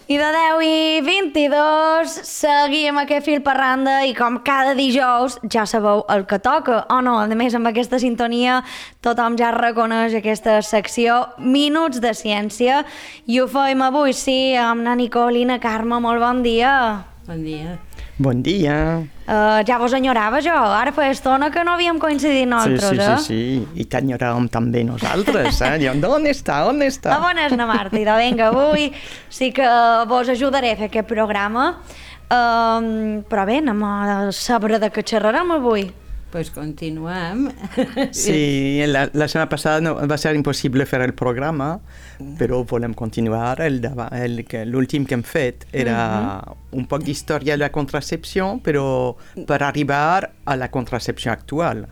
I de 10:22 seguim aquest fil per randa i com cada dijous ja sabeu el que toca, o no? A més, amb aquesta sintonia tothom ja reconeix aquesta secció Minuts de Ciència i ho fem avui, sí, amb la Nicole i la Carme. Molt bon dia. Bon dia. Bon dia. Ja vos enyorava jo, ara fa estona que no havíem coincidit nosaltres, Sí, i t'enyoràvem també nosaltres, Diuen, on està? On és na Marta? I de vinga, avui sí que vos ajudaré a fer aquest programa, però bé, anem a saber de què xerrarem avui. Pues continuem. Sí, la setmana passada no, va ser impossible fer el programa, però volem continuar. L'últim que hem fet era un poc d'història de la contracepció, però per arribar a la contracepció actual.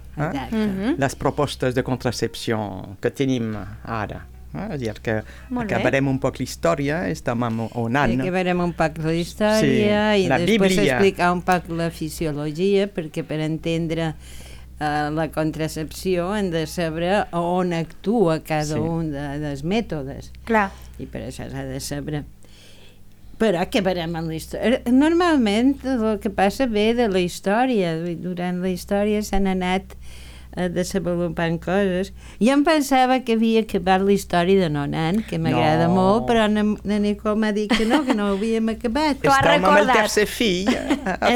Les propostes de contracepció que tenim ara. És a dir, que acabarem un poc l'història, estem en un any. Acabarem un poc la història i després explicar un poc la fisiologia, perquè per entendre la contracepció hem de saber on actua cada un dels mètodes. Clar. I per això s'ha de saber. Però acabarem amb la història. Normalment el que passa ve de la història. Durant la història s'han anat desenvolupant coses. Jo em pensava que havia acabat la història de Nonan, que m'agrada molt, però la Nicole m'ha dit que no ho havíem acabat. Estem amb el tercer fill a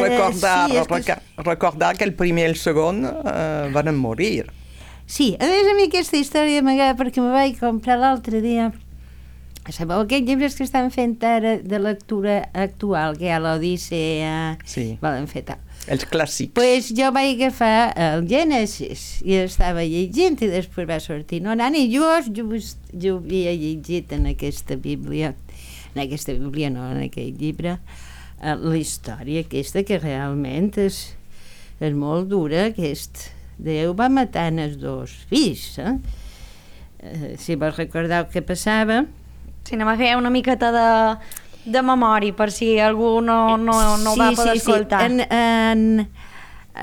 recordar que el primer i el segon van morir. Sí, a més a mi aquesta història m'agrada perquè me vaig comprar l'altre dia. Sabeu aquests llibres que estan fent ara de lectura actual, que hi ha l'Odissea, volen fer tal. Els clàssics. Pues jo vaig agafar el Gènesis i estava llegint i després va sortir Nonan i jo havia llegit en aquesta Bíblia, en aquell llibre, la història aquesta que realment és molt dura. Déu va matar els dos fills. Si vos recordeu què passava. Sí, anem a fer una miqueta de memòria, per si algú no va poder escoltar.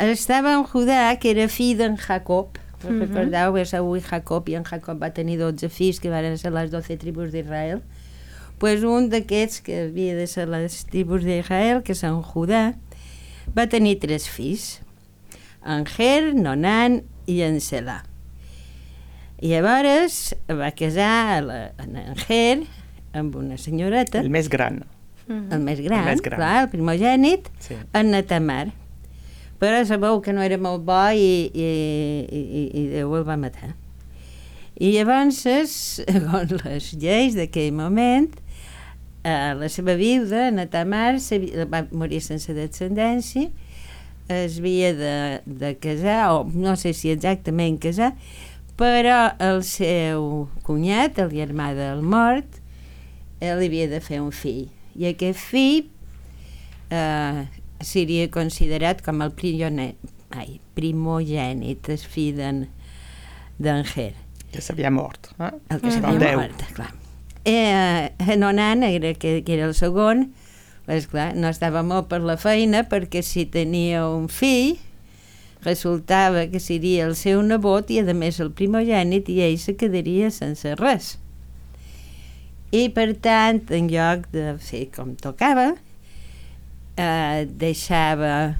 Estava en Judà, que era fill d'en Jacob. Recordeu, Esaú i Jacob, i en Jacob va tenir 12 fills, que van ser les 12 tribus d'Israel. Pues un d'aquests, que havia de ser les tribus d'Israel, que són Judà, va tenir 3 fills, en Ger, Nonan i en Selà. I llavors va casar en Ger amb una senyoreta. El més gran. El més gran, clar, el primogènit, en Tamar. Però sabeu que no era molt bo i Déu el va matar. I llavors, segons les lleis d'aquell moment, la seva viuda, en Tamar, va morir sense descendència, es havia de casar, o no sé si exactament casar, però el seu cunyat, el germà del mort, li havia de fer un fill. I aquest fill seria considerat com el primogènit, el fill d'en Ger. Que s'havia mort. El que s'havia mort, clar. Nonan, que era el segon, esclar, no estava molt per la feina, perquè si tenia un fill, resultava que seria el seu nebot i a més el primogènit i ell se quedaria sense res. I per tant, en lloc de fer com tocava, deixava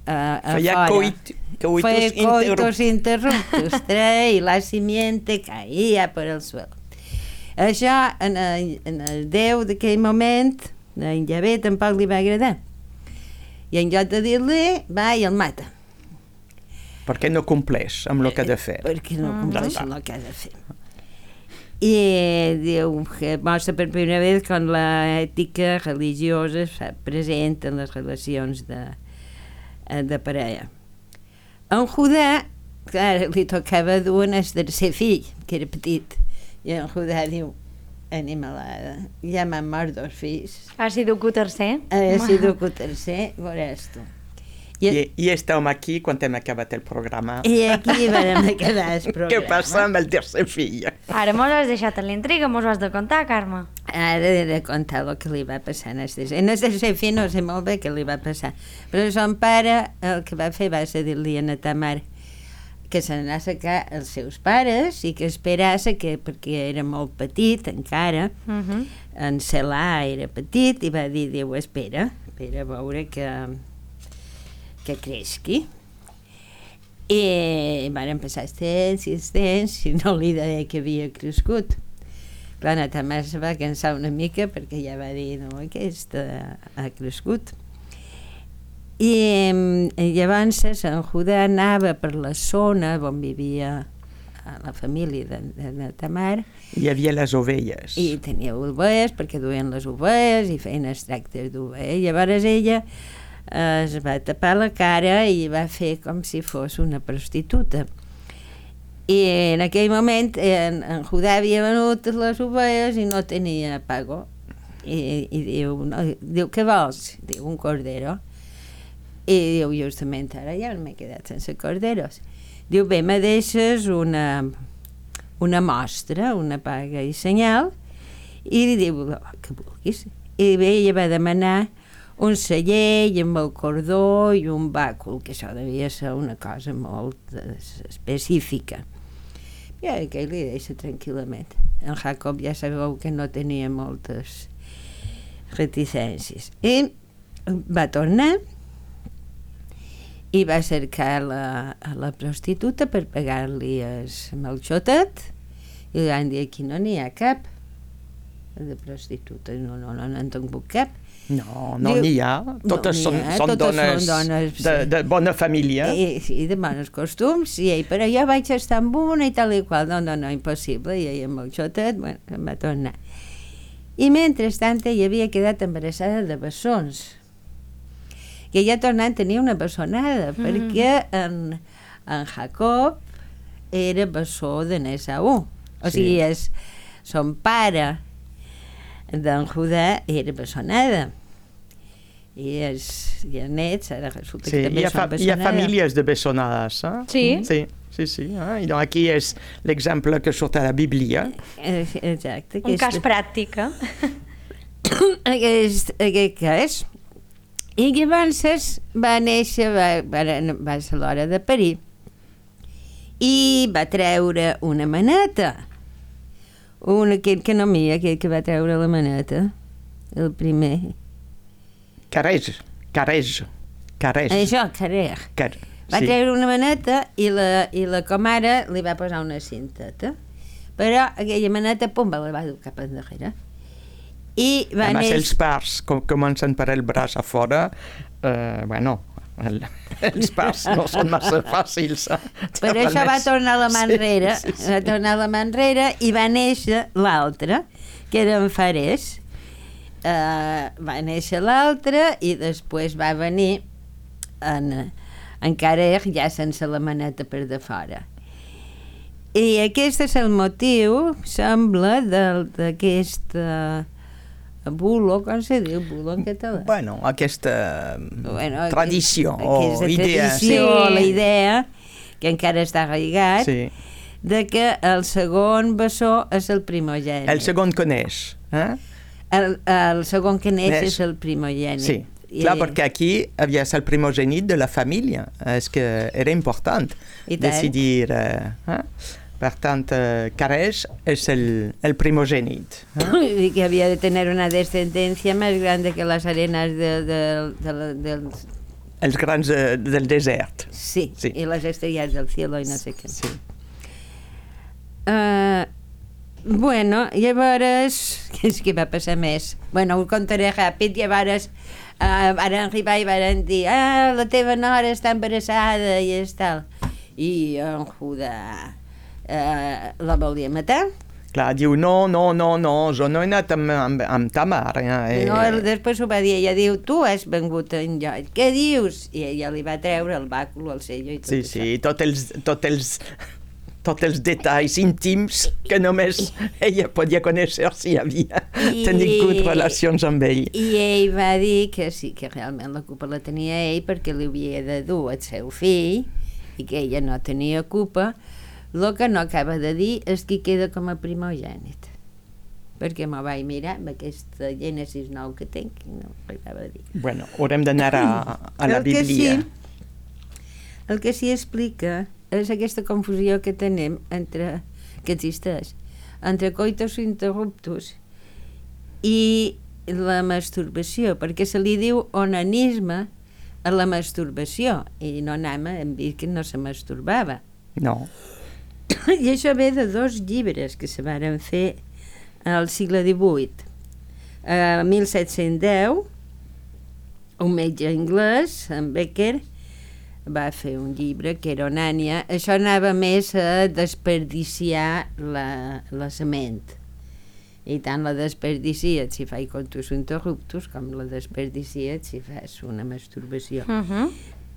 feia coitos interruptus, i la simiente caia per el suelo. Això en el Déu d'aquell moment, en Javé, tampoc li va agradar. I en lloc de dir-li, va i el mata. Perquè no compleix amb el que ha de fer. Perquè no compleix amb el que ha de fer. I diu que mostra per primera vegada com l'ètica religiosa es fa present en les relacions de parella. En Judà, clar, li tocava dur el tercer fill, que era petit, i en Judà diu, animalada, ja m'han mort 2 fills. Ha sigut el tercer? Ha sigut el tercer, veuràs tu. I estàvem aquí quan hem acabat el programa. I aquí vam acabar el programa. Què passa amb el tercer fill? Ara mos has deixat en l'intriga, mos ho has de contar, Carme. Ara he de contar el que li va passar en el tercer fill, no sé molt bé què li va passar. Però son pare el que va fer va ser dir-li a Tamar que se n'anà a sacar els seus pares i que esperassa que, perquè era molt petit encara, en Celà era petit i va dir, Déu, espera a veure que creixi. I van passar temps i no li deia que havia crescut. Clar, la Tamar se va cansar una mica perquè ja va dir, no, aquesta ha crescut. I llavors en Judà anava per la zona on vivia la família de Tamar. Hi havia les ovelles. I tenia ovelles perquè duien les ovelles i feien extractes d'ovelles. Llavors ella es va tapar la cara i va fer com si fos una prostituta. I en aquell moment en Judà havia venut les ovelles i no tenia pago. I diu, què vols? Diu, un cordero. I diu, justament ara ja m'he quedat sense corderos. Diu, bé, me deixes una mostra, una paga i senyal, i li diu, que vulguis. I bé, ella va demanar un celler amb el cordó i un bàcul, que això devia ser una cosa molt específica. I aquell li deixa tranquil·lament. En Jacob ja sabeu que no tenia moltes reticències. I va tornar i va cercar la prostituta per pagar-li amb el xotet i li van dir, aquí no n'hi ha cap de prostituta, no en tingut cap. No n'hi ha, totes són dones de bona família. Sí, de bons costums, però jo vaig estar amb una i tal i qual, no, impossible, i ella amb el xotet, bueno, em va tornar. I mentrestant ella havia quedat embarassada de bessons, que ja tornant tenia una bessonada, perquè en Jacob era bessó de Esaú. O sigui, son pare d'en Judà era bessonada. I els nets ara resulta que també són bessonades. Hi ha famílies de bessonades, eh? Sí. Sí. I doncs aquí és l'exemple que surt a la Bíblia. Exacte. Un cas pràctic, Aquest cas. I llavors va néixer, va ser l'hora de parir, i va treure una maneta. Aquell que no mira, aquell que va treure la maneta, el primer. Carej. Això, Carej. Va treure una maneta i la comare li va posar una cinteta. Però aquella maneta, pum, la va dur cap endarrere. I va néixer... els parts comencen per el braç a fora, els parts no són massa fàcils. Per això va tornar la mà enrere, va tornar la mà enrere i va néixer l'altre, que era en Fares. Va néixer l'altre i després va venir en Carej ja sense la maneta per de fora. I aquest és el motiu, sembla, d'aquest bulo, com se diu bulo en català? Bueno, aquesta tradició o idea. La idea, que encara està arraigat, de que el segon bessó és el primogènit. El segon que neix. El segon que neix és el primogènit. Sí, clar, perquè aquí havia el primogènit de la família. És que era important decidir... Per tant, Carej és el primogènit. I que havia de tenir una descendència més gran que les arenes dels... Els grans del desert. Sí, i les estrelles del cielo i no sé què. Sí. Bueno, llavors, què va passar més? Bueno, ho contaré ràpid, llavors van arribar i van dir la teva nora està embarassada i és tal. I en Judà la volia matar. Clar, diu, no, jo no he anat amb Tamar. No, després ho va dir, ella diu, tu has vengut enlloc, què dius? I ella li va treure el bàcul, el sello i tot això. Sí, tots els detalls íntims que només ella podia conèixer si havia tingut relacions amb ell. I ell va dir que sí, que realment la culpa la tenia ell perquè li havia de dur el seu fill i que ella no tenia culpa. El que no acaba de dir és qui queda com a primogènit, perquè m'ho vaig mirar amb aquesta Gènesis 9 que tinc i no acaba de dir. Bueno, haurem d'anar a la Bíblia. El que sí explica és aquesta confusió que tenim que existeix entre coitus interruptus i la masturbació, perquè se li diu onanisme a la masturbació, i no hem vist que no se masturbava. No. I això ve de 2 llibres que se varen fer al segle XVIII. A 1710, un metge anglès, en Becker, va fer un llibre que era Onània. Això anava més a desperdiciar la sement. I tant la desperdiciet si fai contus interruptus com la desperdiciet si fas una masturbació.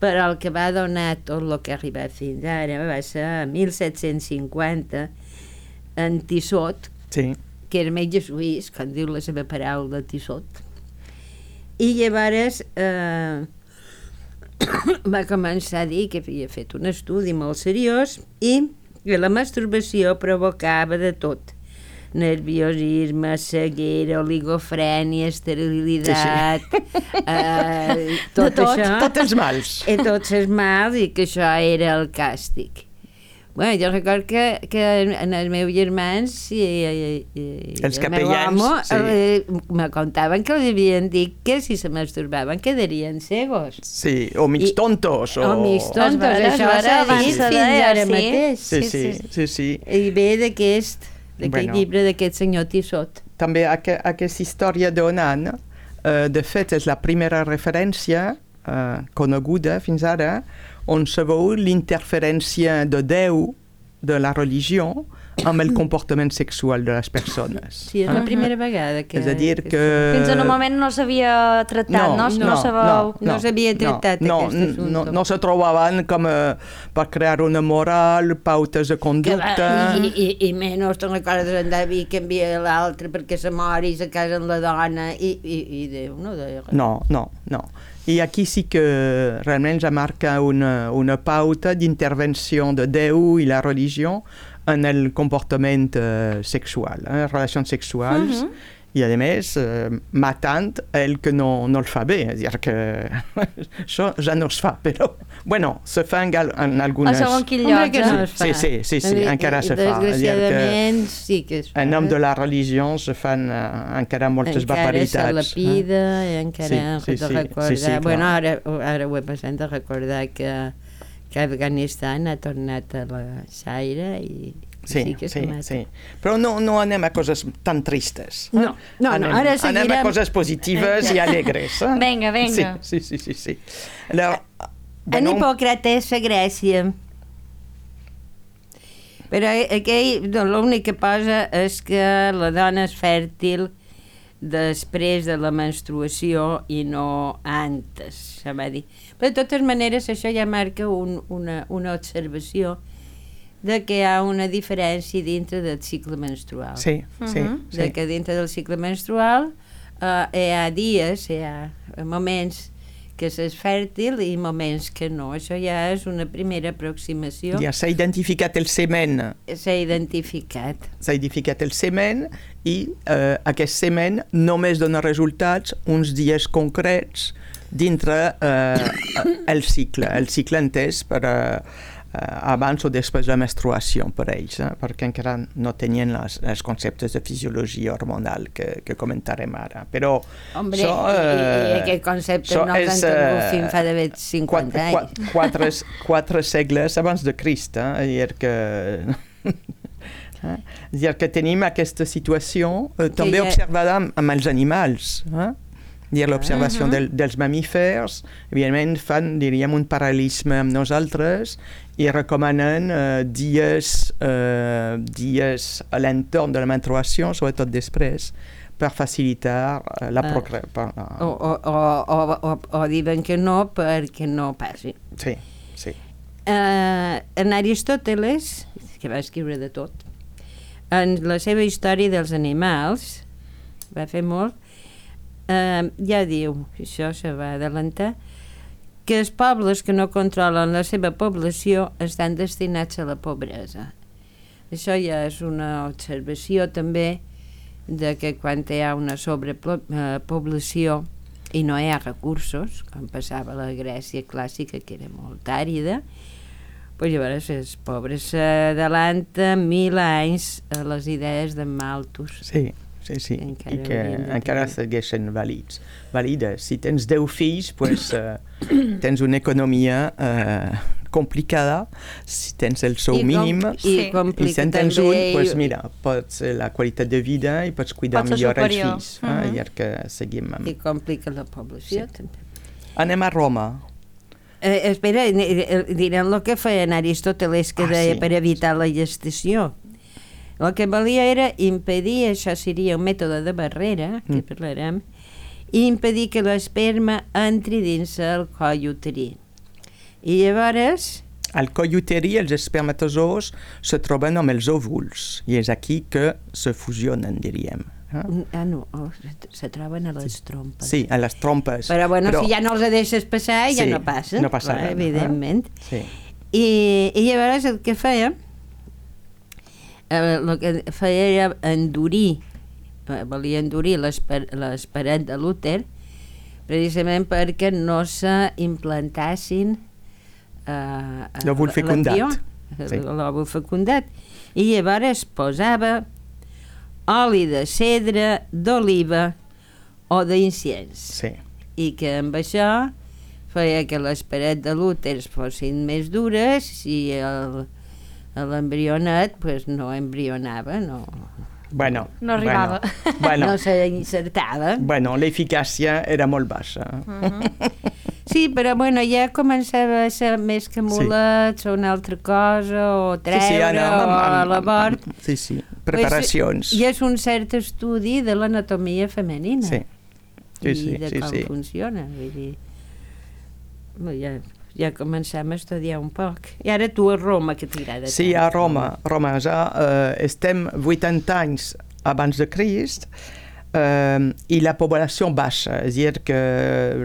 Però el que va donar tot el que ha arribat fins ara va ser a 1750 en Tissot, Sí. que era metge suís, com diu la seva paraula, Tissot. I llavors va començar a dir que havia fet un estudi molt seriós i que la masturbació provocava de tot: nerviosisme, ceguera, oligofrènia, esterilitat, tot això. Tots els mals. I tots els mals, i que això era el càstig. Bueno, jo record que en els meus germans i Els el meu capellans, home sí. me contaven que els havien dit que si se masturbaven quedarien cegos. Sí, o mig tontos. O mig tontos, Es això veure, s'ha abans dit de fins dir, ara sí. mateix. Sí. I ve d'aquest llibre d'aquest senyor Tissot. També aquesta història d'Onan, de fet, és la primera referència coneguda fins ara on se veu l'interferència de Déu, de la religió, amb el comportament sexual de les persones. Sí, és la primera vegada que... És a dir que... Fins en un moment no s'havia tractat, no s'havia tractat aquest assumpte. No se trobaven com per crear una moral, pautes de conducta... I menys te'n recordes andar a dir que envia l'altre perquè se mori i se casa amb la dona i Déu no deia res. No. I aquí sí que realment ja marca una pauta d'intervenció de Déu i la religió en el comportament sexual, relacions sexuals, i a més matant el que no el fa bé, és a dir que això ja no es fa, però bueno, se fa en algunes... A segon quin lloc, que no es fa. Sí, encara se fa. Desgraciadament sí que es fa. En nom de la religió se fan encara moltes barbaritats. Encara se lapida i encara Sí, recordar... clar. Bueno, ara ho he passat de recordar que Afganistan ha tornat a la Zaire i sí que se mata. Sí. Però no anem a coses tan tristes. No, ara seguirem... Anem a coses positives i alegres. Vinga. Sí. Alors, en Hipòcrates a Grècia. Però aquell l'únic que posa és que la dona és fèrtil després de la menstruació i no antes, se va dir. Però de totes maneres això ja marca una observació de que hi ha una diferència dintre del cicle menstrual. Sí. De que dintre del cicle menstrual hi ha dies, hi ha moments que s'és fèrtil i moments que no. Això ja és una primera aproximació. Ja s'ha identificat el semen. S'ha identificat el semen i aquest semen només dona resultats uns dies concrets dintre el cicle entès per abans o després de la menstruació per ells, perquè encara no tenien els conceptes de fisiologia hormonal que comentarem ara. Però hombre, i aquest concepte no els han tingut fins fa d'haver 50 anys. 4 segles abans de Crist, és a dir que tenim aquesta situació també observada amb els animals, l'observació dels mamífers, evidentment fan, diríem, un paral·lelisme amb nosaltres i recomanen dies a l'entorn de la menstruació, sobretot després, per facilitar la procreació. O diuen que no perquè no passi. Sí. En Aristòteles, que va escriure de tot, en la seva història dels animals, va fer molt, ja diu, això se va adelantar, que els pobles que no controlen la seva població estan destinats a la pobresa. Això ja és una observació també de que quan hi ha una sobrepoblació i no hi ha recursos, com passava a la Grècia clàssica, que era molt àrida, pues llavors els pobres s'adelanten 1000 anys a les idees de Malthus. Sí. I que encara segueixen vàlides. Si tens 10 fills, pues, tens una economia complicada. Si tens el sou mínim i si en tens un, pues, mira, pots la qualitat de vida i pots cuidar millor els fills. I que seguim amb... I complica la població, també. Anem a Roma. Espera, direm el que feien Aristòteles, que deia per evitar la gestació. El que volia era impedir, això seria un mètode de barrera, que parlarem, i impedir que l'esperma entri dins el coll uterí. I llavors... Al coll uterí els espermatozoos se troben amb els òvuls, i és aquí que se fusionen, diríem. No, se troben a les trompes. Sí, a les trompes. Però si ja no els deixes passar, ja no passa. No passa res. Evidentment. I llavors el que feia... el que feia era endurir, volia endurir les parets de l'úter precisament perquè no s'implantassin l'òvul fecundat. L'òvul fecundat. I llavors posava oli de cedre, d'oliva o d'inciens. I que amb això feia que les parets de l'úter fossin més dures i l'embrionet pues, no embrionava, no arribava. No s'encertava. L'eficàcia era molt baixa. Sí, però ja començava a ser més que mulets o una altra cosa, o treure, o a l'abort. Sí, preparacions. I és un cert estudi de l'anatomia femenina. I de com funciona. Vull dir, ja comencem a estudiar un poc. I ara tu a Roma, que t'agrada tant. Sí, a Roma ja estem 80 anys abans de Crist i la població baixa, és a dir, que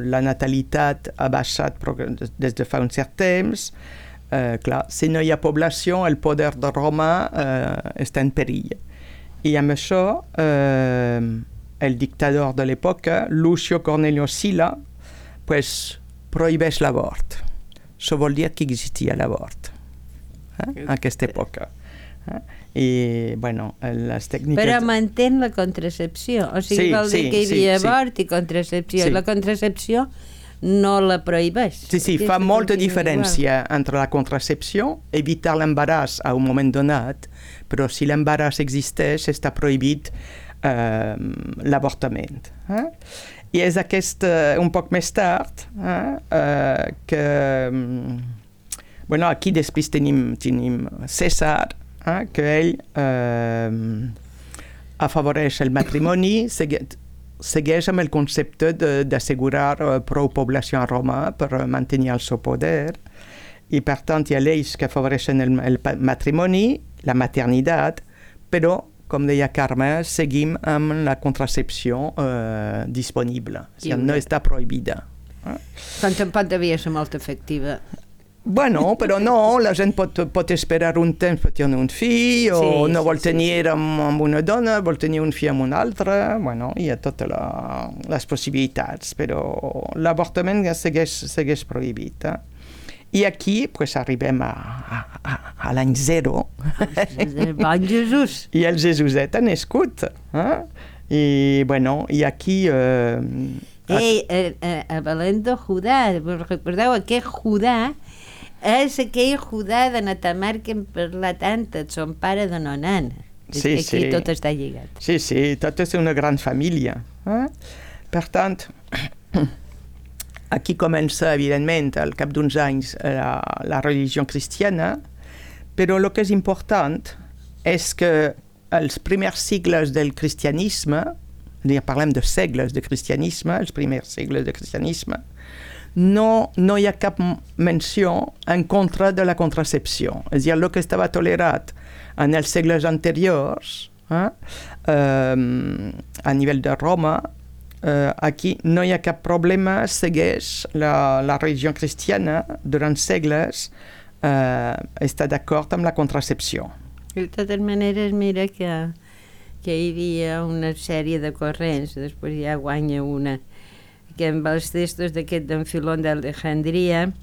la natalitat ha baixat des de fa un cert temps. Clar, si no hi ha població, el poder de Roma està en perill. I amb això, el dictador de l'època, Lucio Cornelio Sila, prohibeix l'abort. Això vol dir que existia l'abort en aquesta època. I, les tècniques... Però mantén la contracepció. O sigui, vol dir que hi havia abort i contracepció. La contracepció no la prohibeix. Sí, fa molta diferència entre la contracepció, evitar l'embaràs a un moment donat, però si l'embaràs existeix, està prohibit l'avortament. I és un poc més tard que... aquí després tenim Cèsar, que ell afavoreix el matrimoni, segueix amb el concepte d'assegurar prou població a Roma per mantenir el seu poder, i per tant hi ha lleis que afavoreixen el matrimoni, la maternitat, però com deia Carme, seguim amb la contracepció disponible. No està prohibida. Quan tampoc devia ser molt efectiva. Però no, la gent pot esperar un temps per tenir un fill, o no vol tenir amb una dona, vol tenir un fill amb una altra. Hi ha totes les possibilitats, però l'avortament segueix prohibit. I aquí arribem a l'any 0. El bon Jesús. I el Jesuset ha nascut. I aquí... a Belén de Judà, recordeu, aquest Judà és aquell Judà de Natamar que hem parlat tant, son pare de Nonan. Aquí tot està lligat. Sí, tot és una gran família. Per tant... Aquí comença, evidentment, al cap d'uns anys, la religió cristiana, però el que és important és que els primers sigles del cristianisme, parlem de segles de cristianisme, els primers segles de cristianisme, no hi ha cap menció en contra de la contracepció. És a dir, el que estava tolerat en els segles anteriors, a nivell de Roma, aquí no hi ha cap problema, segueix la religió cristiana durant segles, està d'acord amb la contracepció. De totes maneres, mira que hi havia una sèrie de corrents, després ja guanya una, que amb els textos d'aquest d'en Filon d'Alejandria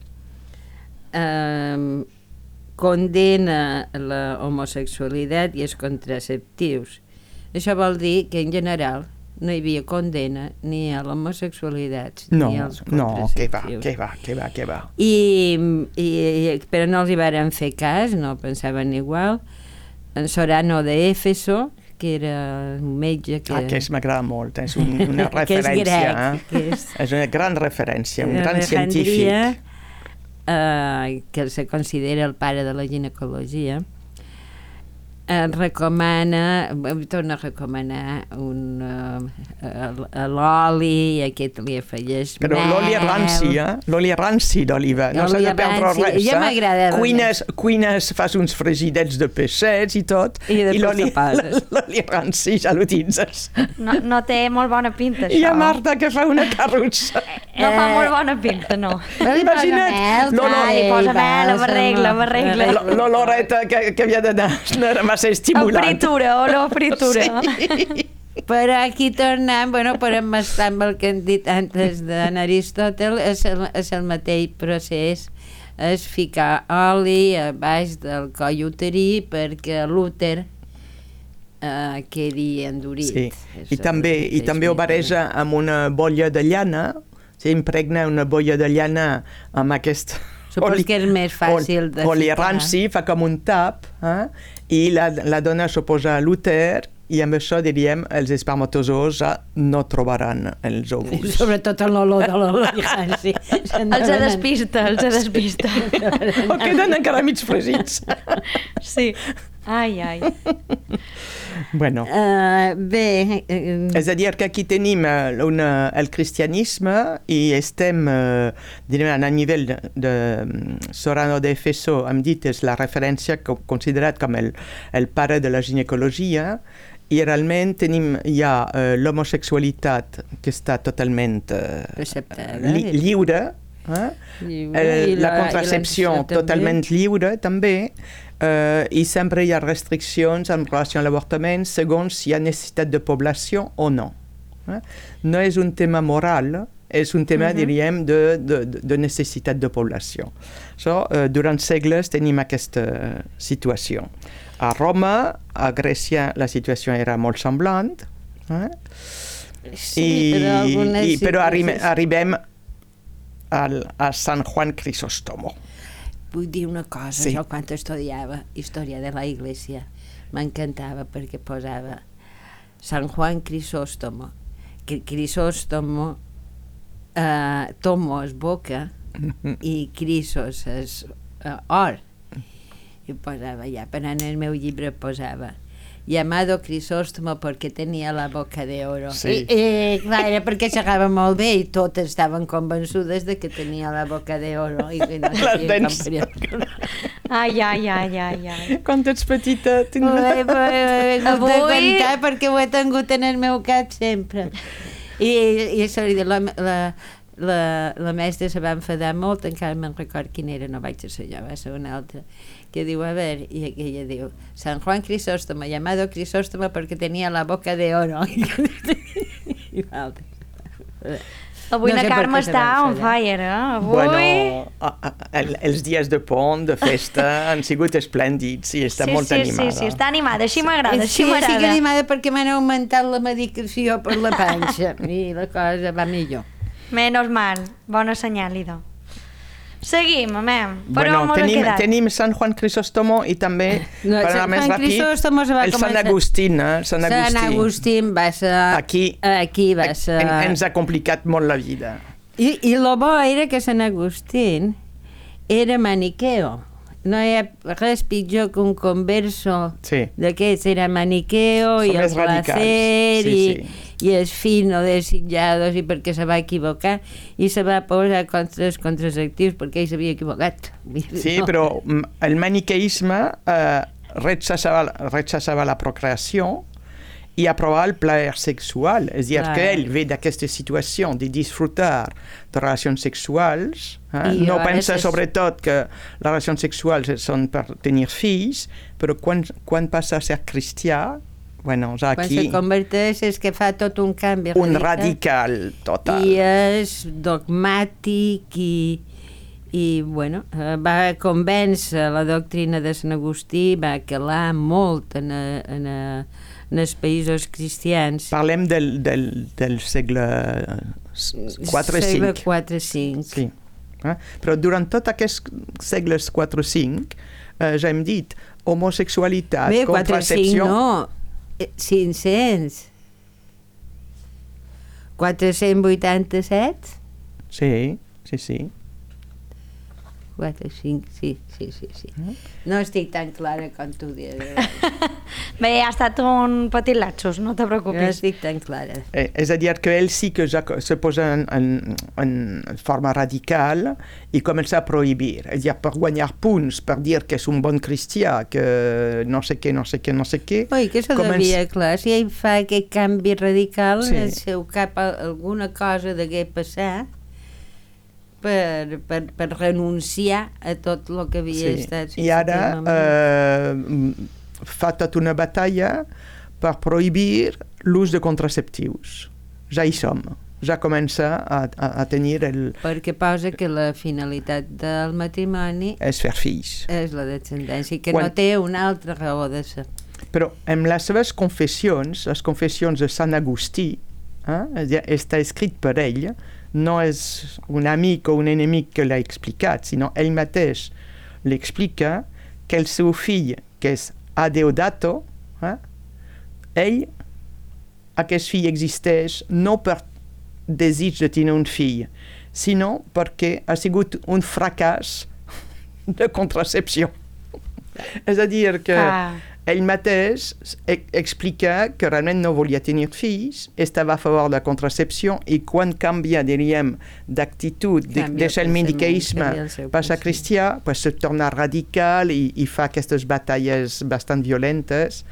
condena la homosexualitat i els contraceptius. Això vol dir que en general no hi havia condena ni a l'homosexualitat ni als contraceptius. Que va. Però no els hi varen fer cas, no pensaven igual. En Sorano de Éfeso, que era un metge que... Aquest m'agrada molt, és una referència. És una gran referència, un gran científic. Que se considera el pare de la ginecologia, torna a recomanar l'oli, aquest li afegeix però l'oli ranci, l'oli ranci d'oliva, no s'ha de perdre res. Ja m'agrada. Cuines, fas uns fregidets de peixets i tot, i l'oli ranci ja l'utilitzes. No té molt bona pinta, això. I a Marta que fa una carrussa. No fa molt bona pinta, no. Imagina't. Li posa mel, la barregla. L'oloreta que havia d'anar no era massa estimulant. Olor fritura. Sí. Però aquí tornem, podem estar amb el que hem dit antes d'Aristòtel, és el mateix procés, és ficar oli a baix del coll uterí perquè l'úter quedi endurit. Sí. I també ho bareja amb una bolla de llana, impregna una bolla de llana amb aquest... Supos que és més fàcil de oli ranci, fa com un tap, i la dona s'ho posa a l'úter, i amb això diríem els espermatozoos no trobaran els òvuls. Sobretot en l'olor de l'oli ranci. Els despista. O queden encara mig fregits. Sí. Ai. Bueno. Bé... És a dir, que aquí tenim el cristianisme i estem, direm, a nivell de Sorano de Éfeso, hem dit, és la referència considerat com el pare de la ginecologia, i realment tenim ja l'homosexualitat que està totalment lliure, la contracepció totalment lliure també, i sempre hi ha restriccions en relació amb l'avortament segons si hi ha necessitat de població o no. No és un tema moral, és un tema, diríem, de necessitat de població. Durant segles tenim aquesta situació. A Roma, a Grècia, la situació era molt semblant, però arribem a Sant Juan Crisóstomo. Vull dir una cosa, jo quan estudiava història de la Iglesia m'encantava perquè posava Sant Juan Crisóstomo, que Crisóstomo tomo és boca i Crisos és or, i posava ja, però en el meu llibre posava llamado Crisóstomo porque tenía la boca de oro. Sí. Clar, era perquè xerrava molt bé i totes estaven convençudes de que tenia la boca de oro. I que no les dents. Ai. Quan ets petita... Avui... perquè ho he tingut en el meu cap sempre. I la mestra se va enfadar molt, encara me'n record quina era, no vaig ser jo, va ser una altra, que diu, a veure, i ella diu, San Juan Crisóstomo, llamado Crisóstomo porque tenía la boca de oro. I l'altra. Avui la Carme està on fire, Avui... Bueno, els dies de pont, de festa, han sigut esplèndids i està molt animada. Sí, està animada, així m'agrada, Sí, estic animada perquè m'han augmentat la medicació per la panxa i la cosa va millor. Menos mal, bona senyal, idò. Seguim, amem. Tenim Sant Juan Crisóstomo i també, per anar més ràpid, el Sant Agustín. Sant Agustín va ser... Aquí va ser... Ens ha complicat molt la vida. I lo bo era que Sant Agustín era maniqueo. No hi ha res pitjor que un converso d'aquests, era maniqueo i el placer i el fino desitjados i perquè se va equivocar i se va posar contra els contraceptius perquè ell s'havia equivocat. Sí, però el maniqueisme rechazava la procreació i aprovava el plaer sexual. És a dir, que ell ve d'aquesta situació de disfrutar de relacions sexuals, no pensa sobretot que les relacions sexuals són per tenir fills, però quan passa a ser cristià, bueno, aquí... Quan se converteix és que fa tot un canvi. Un radical total. I és dogmàtic I, bueno, va convèncer la doctrina de Sant Agustí, va calar molt en els països cristians. Parlem del segle IV-V. Segle IV-V. Sí. Però durant tots aquests segles 4-5, ja hem dit, homosexualitat, contracepció... Bé, 500. 487? Sí. 4, 5, sí. No estic tan clara com tu dius. Bé, ha estat un petit lapsus, no te preocupis. No estic tan clara. És a dir, que ell sí que ja se posa en forma radical i comença a prohibir. És a dir, per guanyar punts, per dir que és un bon cristià, que no sé què. Oi, que això devia, clar, si ell fa aquest canvi radical, sí. En el seu cap alguna cosa degué passar per renunciar a tot el que havia estat. I ara fa tota una batalla per prohibir l'ús de contraceptius. Ja hi som. Ja comença a tenir perquè posa que la finalitat del matrimoni és fer fills. És la descendència, que no té una altra raó de ser. Però en les seves confessions, les confessions de Sant Agustí, està escrit per ell, no és un amic o un enemic que l'ha explicat, sinó ell mateix l'explica que el seu fill, que és Adeodato, aquest fill existeix no per desig de tenir un fill, sinó perquè ha sigut un fracàs de contracepció. És a dir, que ell mateix explica que realment no volia tenir fills, estava a favor de la contracepció i quan canvia, diríem, d'actitud, deixa el mendicaisme, passa cristià, pues se torna radical i fa aquestes batalles bastant violentes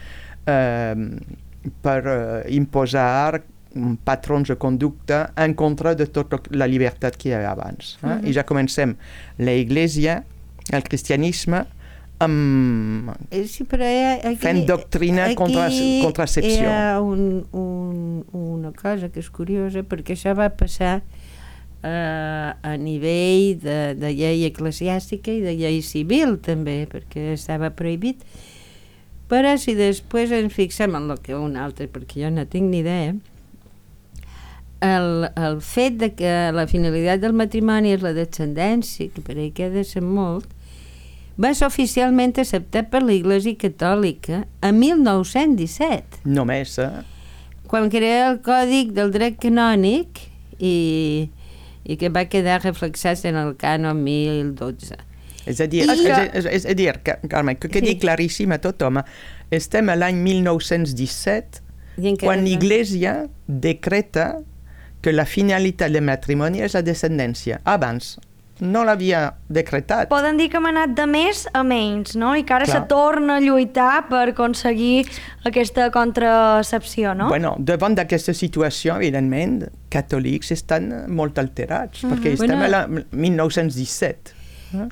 per imposar patrons de conducta en contra de tota la llibertat que hi havia abans. I ja comencem la Iglesia, el cristianisme, fent doctrina contracepció. Hi ha una cosa que és curiosa, perquè això va passar a nivell de llei eclesiàstica i de llei civil també, perquè estava prohibit. Però si després ens fixem en el que un altre, perquè jo no tinc ni idea, el fet de que la finalitat del matrimoni és la descendència, que per ell queda de ser molt, va ser oficialment acceptat per l'Església Catòlica a 1917. Només, quan crea el Còdic del Dret Canònic i que va quedar reflexat en el cànon 1012. És a dir, Carme, que quedi claríssim a tothom, estem a l'any 1917, quan l'Església decreta que la finalitat del matrimoni és la descendència. Abans no l'havia decretat. Poden dir que hem anat de més a menys, no? I que ara se torna a lluitar per aconseguir aquesta contracepció, no? Bueno, davant d'aquesta situació, evidentment, catòlics estan molt alterats, perquè estem a la 1917.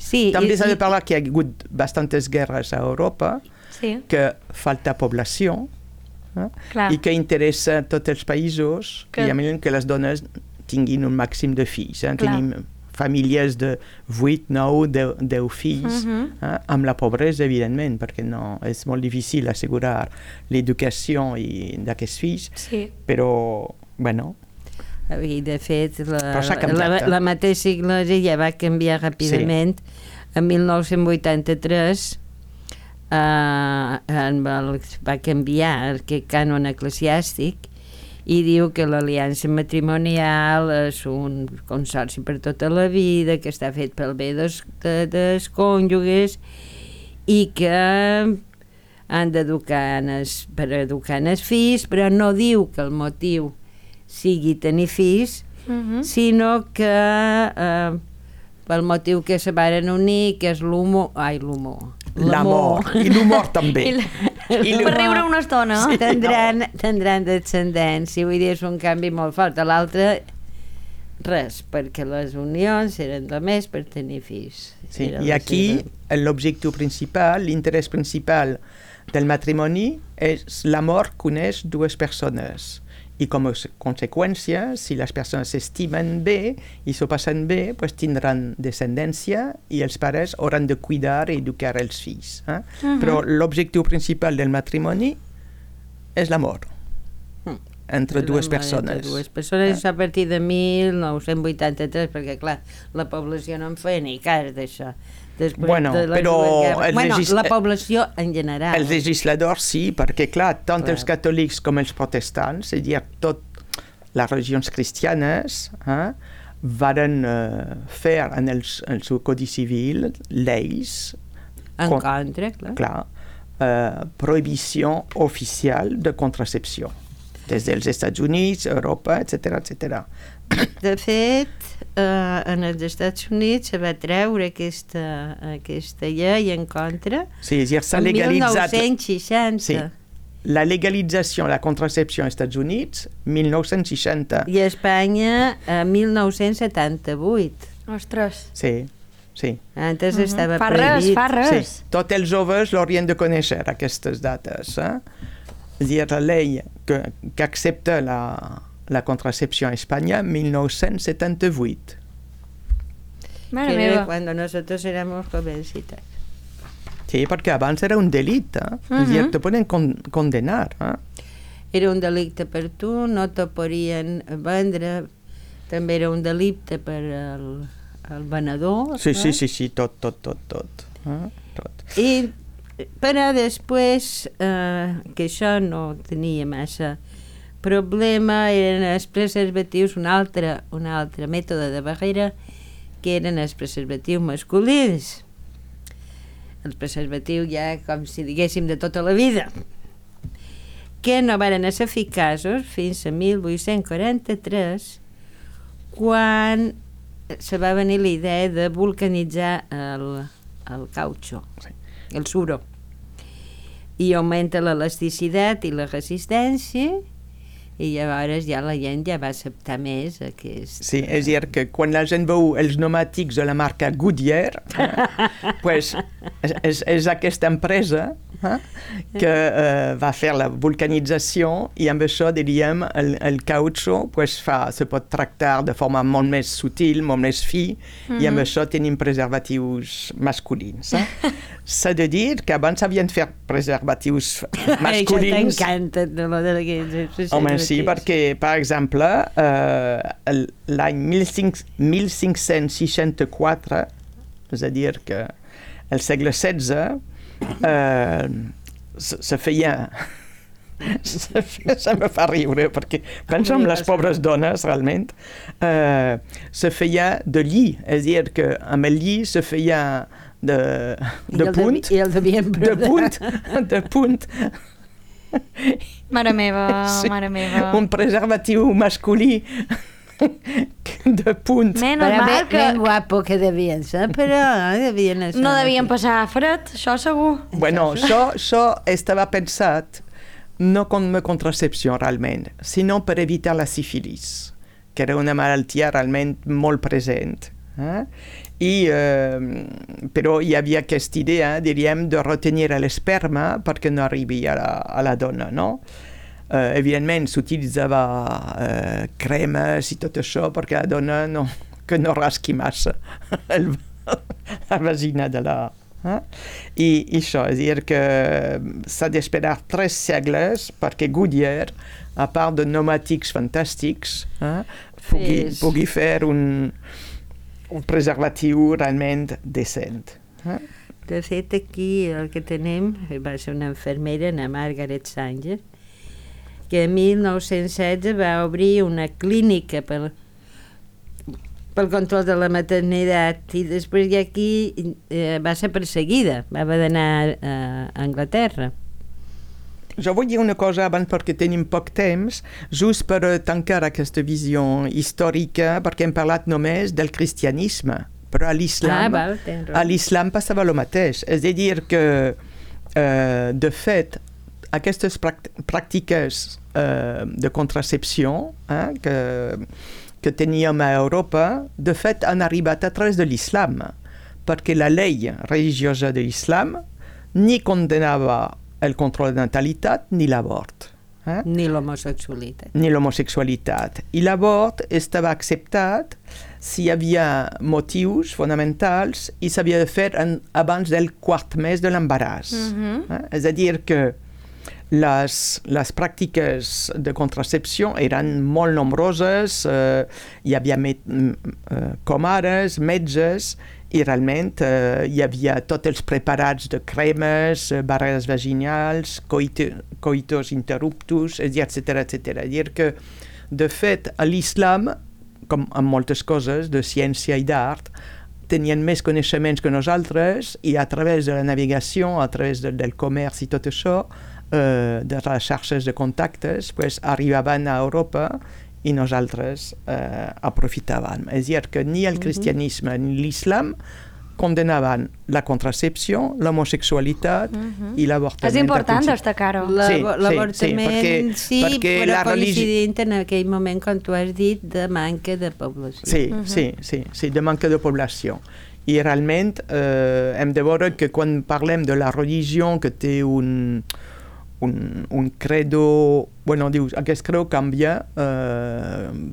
Sí, també s'ha de parlar que hi ha hagut bastantes guerres a Europa, que falta població, i que interessa a tots els països que les dones tinguin un màxim de fills. Tenim famílies de 8, 9, 10 fills, amb la pobresa, evidentment, perquè no, és molt difícil assegurar l'educació d'aquests fills, però, bueno... I, de fet, la mateixa Iglésia ja va canviar ràpidament. En 1983 va canviar aquest cànon eclesiàstic i diu que l'aliança matrimonial és un consorci per tota la vida, que està fet pel bé dels cònjuges i que han d'educar per educar els fills, però no diu que el motiu sigui tenir fills, sinó que pel motiu que se varen unir, que és l'amor, i l'humor també. Per riure una estona. Tindran descendència, vull dir, és un canvi molt fort. A l'altre, res, perquè les unions eren només per tenir fills. I aquí l'objectiu principal, l'interès principal del matrimoni és l'amor que uneix dues persones i com a conseqüència, si les persones s'estimen bé i s'ho passen bé, pues tindran descendència i els pares hauran de cuidar i educar els fills. Però l'objectiu principal del matrimoni és l'amor entre dues persones. Dues persones a partir de 1983, perquè clar, la població no en feia ni cas d'això. La població en general. Els legisladors sí, perquè clar, tant els catòlics com els protestants, és a dir, tot les religions cristianes varen fer en el seu codi civil lleis en contra, clar. Prohibició oficial de contracepció des dels Estats Units, Europa, etc. De fet, en els Estats Units se va treure aquesta llei en contra en 1960. Sí. La legalització de la contracepció als Estats Units, 1960. I a Espanya, 1978. Ostres. Sí. Antes estava prohibit. Fa res. Sí. Tots els joves l'haurien de conèixer, aquestes dates. És a dir, la llei que accepta la contracepció a Espanya, 1978. Mare meva. Quan nosotros éramos jovencitas. Sí, perquè abans era un delicte. És a dir, te poden condenar. Era un delicte per tu, no te podien vendre, també era un delicte per el venedor. Sí, tot. I però després que això no tenia massa problema, eren els preservatius, un altre mètode de barrera, que eren els preservatius masculins. Els preservatius ja, com si diguéssim, de tota la vida, que no varen ser eficaços fins a 1843, quan se va venir la idea de vulcanitzar el cautxú, el suro, i augmenta l'elasticitat i la resistència, i llavors ja la gent ja va acceptar més aquest... Sí, és a dir, que quan la gent veu els pneumàtics de la marca Goodyear, pues, és aquesta empresa que va fer la vulcanització, i amb això, diríem, el cautxú pues, se pot tractar de forma molt més sutil, molt més fi, i amb això tenim preservatius masculins. S'ha de dir que abans havien fet preservatius masculins. Això t'encanta, de home, sí, perquè, per exemple, l'any 1564, és a dir, que el segle XVI, se feia... Se me fa riure, perquè penso en les pobres dones, realment. Se feia de lli, és a dir, que amb el lli se feia de punt. I el devien de punt. Mare meva. Un preservatiu masculí de punt. Ben guapo que devien ser, però no devien passar fred, això segur. Bueno, això estava pensat no com una contracepció realment, sinó per evitar la sífilis, que era una malaltia realment molt present. Però hi havia aquesta idea, diríem, de retenir l'esperma perquè no arribi a la dona, no? Evidentment s'utilitzava cremes i tot això perquè la dona no rasqui massa la vagina de la... I això, és a dir que s'ha d'esperar 3 segles perquè Goodyear, a part de pneumàtics fantàstics, pugui fer un preservatiu realment decent. De fet, aquí el que tenim va ser una infermera, la Margaret Sanger, que en 1916 va obrir una clínica pel control de la maternitat, i després d'aquí va ser perseguida, va haver d'anar a Anglaterra. Jo vull dir una cosa abans perquè tenim poc temps, just per tancar aquesta visió històrica, perquè hem parlat només del cristianisme, però a l'islam passava el mateix. És a dir que, de fet, aquestes pràctiques de contracepció que teníem a Europa, de fet, han arribat a través de l'islam, perquè la llei religiosa de l'islam ni condenava el control de natalitat ni l'abort. Ni l'homosexualitat. Ni l'homosexualitat. I l'avort estava acceptat si hi havia motius fonamentals i s'havia de fer abans del quart mes de l'embaràs. És a dir, que les pràctiques de contracepció eren molt nombroses, hi havia comares, metges, i realment hi havia tots els preparats de cremes, barreres vaginals, coitus interruptus, etc. És a dir que, de fet, a l'islam, com en moltes coses de ciència i d'art, tenien més coneixements que nosaltres i a través de la navegació, a través del comerç i tot això, de les xarxes de contactes, pues, arribaven a Europa i nosaltres aprofitàvem. És a dir, que ni el cristianisme ni l'islam condenaven la contracepció, l'homosexualitat i l'avortament. És important destacar-ho. L'avortament sí, però coincidint en aquell moment, com tu has dit, de manca de població. Sí, de manca de població. I realment hem de veure que quan parlem de la religió que té un credo, dius, aquest credo canvia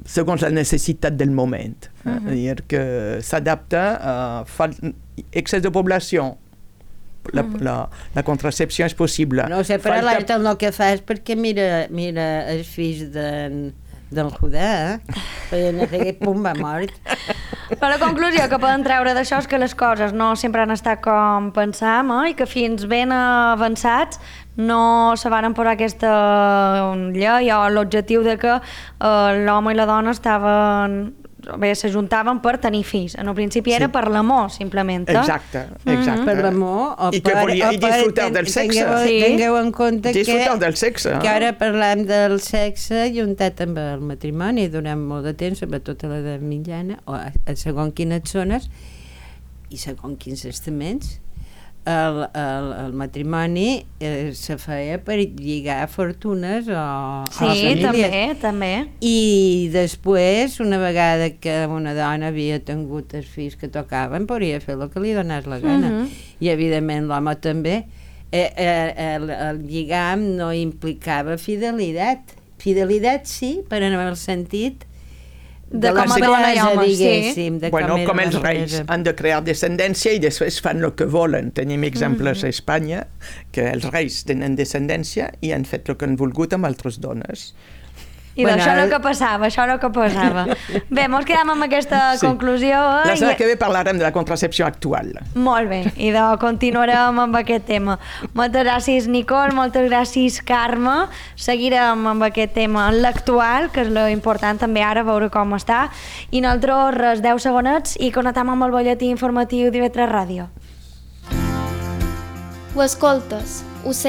segons la necessitat del moment. És a dir, que s'adapta a excés de població. La contracepció és possible. No sé, però l'altre el que fa és perquè mira els fills del Judà, no sé què, pum, va mort. Però la conclusió que podem treure d'això és que les coses no sempre han estat com pensàvem, i que fins ben avançats no se van posar aquesta llei o l'objectiu de que l'home i la dona s'ajuntaven per tenir fills. En el principi era per l'amor, simplement. Exacte. Per l'amor o i disfrutar del sexe. Tingueu en compte que ara parlem del sexe juntat amb el matrimoni durant molt de temps, sobretot a l'edat mitjana, o a segons quines zones i segons quins estaments, el matrimoni se feia per lligar fortunes o famílies. Sí, també. I després, una vegada que una dona havia tingut els fills que tocaven, podria fer el que li donés la gana. I, evidentment, l'home també. El lligam no implicava fidelitat. Fidelitat sí, però en el sentit de com a dona i home, diguéssim. Com els reis han de crear descendència i després fan el que volen. Tenim exemples a Espanya que els reis tenen descendència i han fet el que han volgut amb altres dones. I d'això és el que passava, Bé, mos quedem amb aquesta conclusió. La setmana que ve parlarem de la contracepció actual. Molt bé, i continuarem amb aquest tema. Moltes gràcies, Nicole, moltes gràcies, Carme. Seguirem amb aquest tema en l'actual, que és l'important també ara, veure com està. I nosaltres, res, 10 segonets i connectem amb el butlletí informatiu d'IV3 Ràdio. Ho escoltes, ho